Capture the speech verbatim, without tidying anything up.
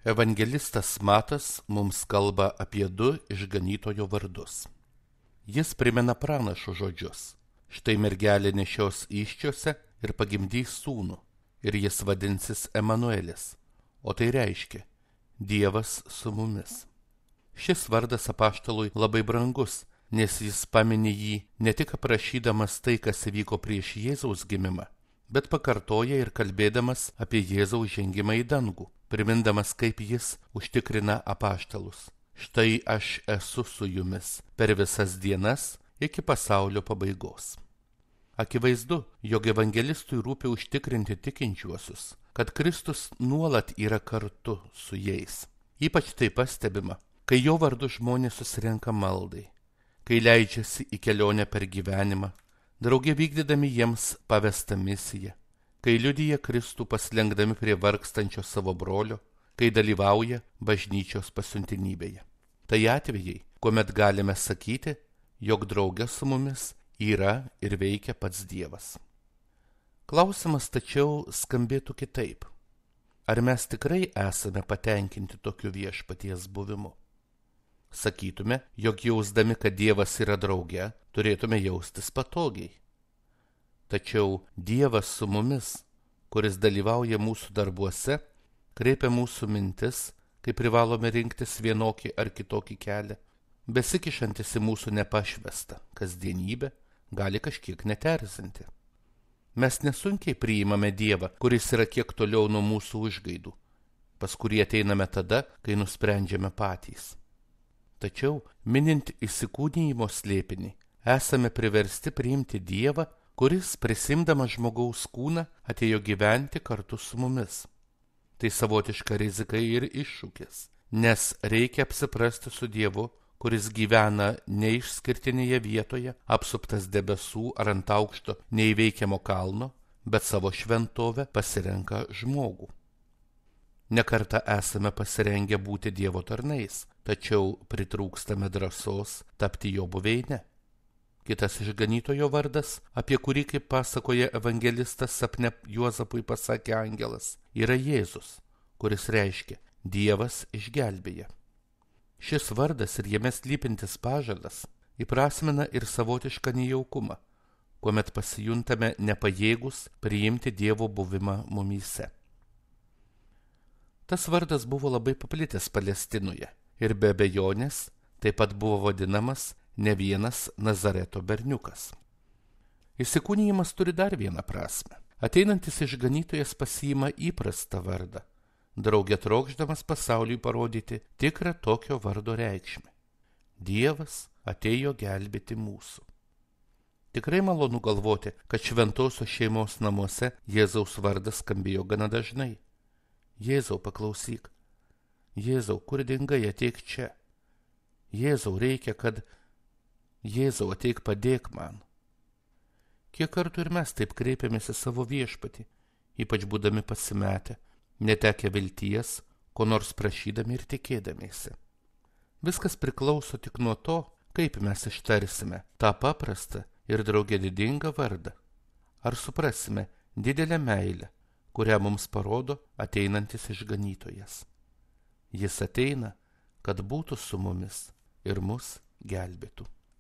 Evangelistas Matas mums kalba apie du išganytojo vardus. Jis primena pranašo žodžius. Štai mergelė nešios įsčiose ir pagimdys sūnų, ir jis vadinsis Emanuelis, o tai reiškia Dievas su mumis. Šis vardas apaštalui labai brangus, nes jis pamini jį ne tik aprašydamas tai, kas įvyko prieš Jėzaus gimimą, bet pakartoja ir kalbėdamas apie Jėzaus žengimą į dangų, primindamas, kaip jis užtikrina apaštalus. Štai aš esu su jumis per visas dienas iki pasaulio pabaigos. Akivaizdu, jog evangelistui rūpi užtikrinti tikinčiuosius, kad Kristus nuolat yra kartu su jais. Ypač tai pastebima, kai jo vardu žmonės susirenka maldai, kai leidžiasi į kelionę per gyvenimą, drauge vykdydami jiems pavestą misiją, kai liudija Kristų paslenkdami prie vargstančio savo brolio, kai dalyvauja bažnyčios pasiuntinybėje. Tai atvejai, kuomet galime sakyti, jog drauge su mumis yra ir veikia pats Dievas. Klausimas tačiau skambėtų kitaip. Ar mes tikrai esame patenkinti tokiu viešpaties buvimu? Sakytume, jog jausdami, kad Dievas yra drauge, turėtume jaustis patogiai. Tačiau Dievas su mumis, kuris dalyvauja mūsų darbuose, kreipia mūsų mintis, kai privalome rinktis vienokį ar kitokį kelią, besikišantis į mūsų nepašvestą kasdienybę, gali kažkiek neterzinti. Mes nesunkiai priimame Dievą, kuris yra kiek toliau nuo mūsų užgaidų, pas kurį ateiname tada, kai nusprendžiame patys. Tačiau, minint įsikūnijimo slėpinį, esame priversti priimti Dievą, kuris, prisimdamas žmogaus kūną, atėjo gyventi kartu su mumis. Tai savotiška rizika ir iššūkis, nes reikia apsiprasti su Dievu, kuris gyvena neišskirtinėje vietoje, apsuptas debesų ar ant aukšto neįveikiamo kalno, bet savo šventovę pasirenka žmogų. Nekartą esame pasirengę būti Dievo tarnais, tačiau pritrūkstame drąsos tapti jo buveinę. Kitas išganytojo vardas, apie kurį, kaip pasakoja evangelistas, sapne Juozapui pasakė angelas, yra Jėzus, kuris reiškia Dievas išgelbėja. Šis vardas ir jame slypintis pažadas įprasmina ir savotišką nejaukumą, kuomet pasijuntame nepajėgus priimti Dievo buvimą mumyse. Tas vardas buvo labai paplitęs Palestinoje ir be abejonės taip pat buvo vadinamas ne vienas Nazareto berniukas. Įsikūnijimas turi dar vieną prasmę. Ateinantis išganytojas pasiima įprastą vardą, drauge trokšdamas pasauliui parodyti tikrą tokio vardo reikšmę. Dievas atėjo gelbėti mūsų. Tikrai malonu galvoti, kad šventosios šeimos namuose Jėzaus vardas skambėjo gana dažnai. Jėzau, paklausyk. Jėzau, kur dingai, ateik čia. Jėzau, reikia, kad... Jėzau, ateik padėk man. Kiek kartų ir mes taip kreipiamės į savo viešpatį, ypač būdami pasimetę, netekę vilties, ko nors prašydami ir tikėdamiesi. Viskas priklauso tik nuo to, kaip mes ištarsime tą paprastą ir drauge didingą vardą. Ar suprasime didelę meilę, kurią mums parodo ateinantis išganytojas. Jis ateina, kad būtų su mumis ir mus gelbėtų.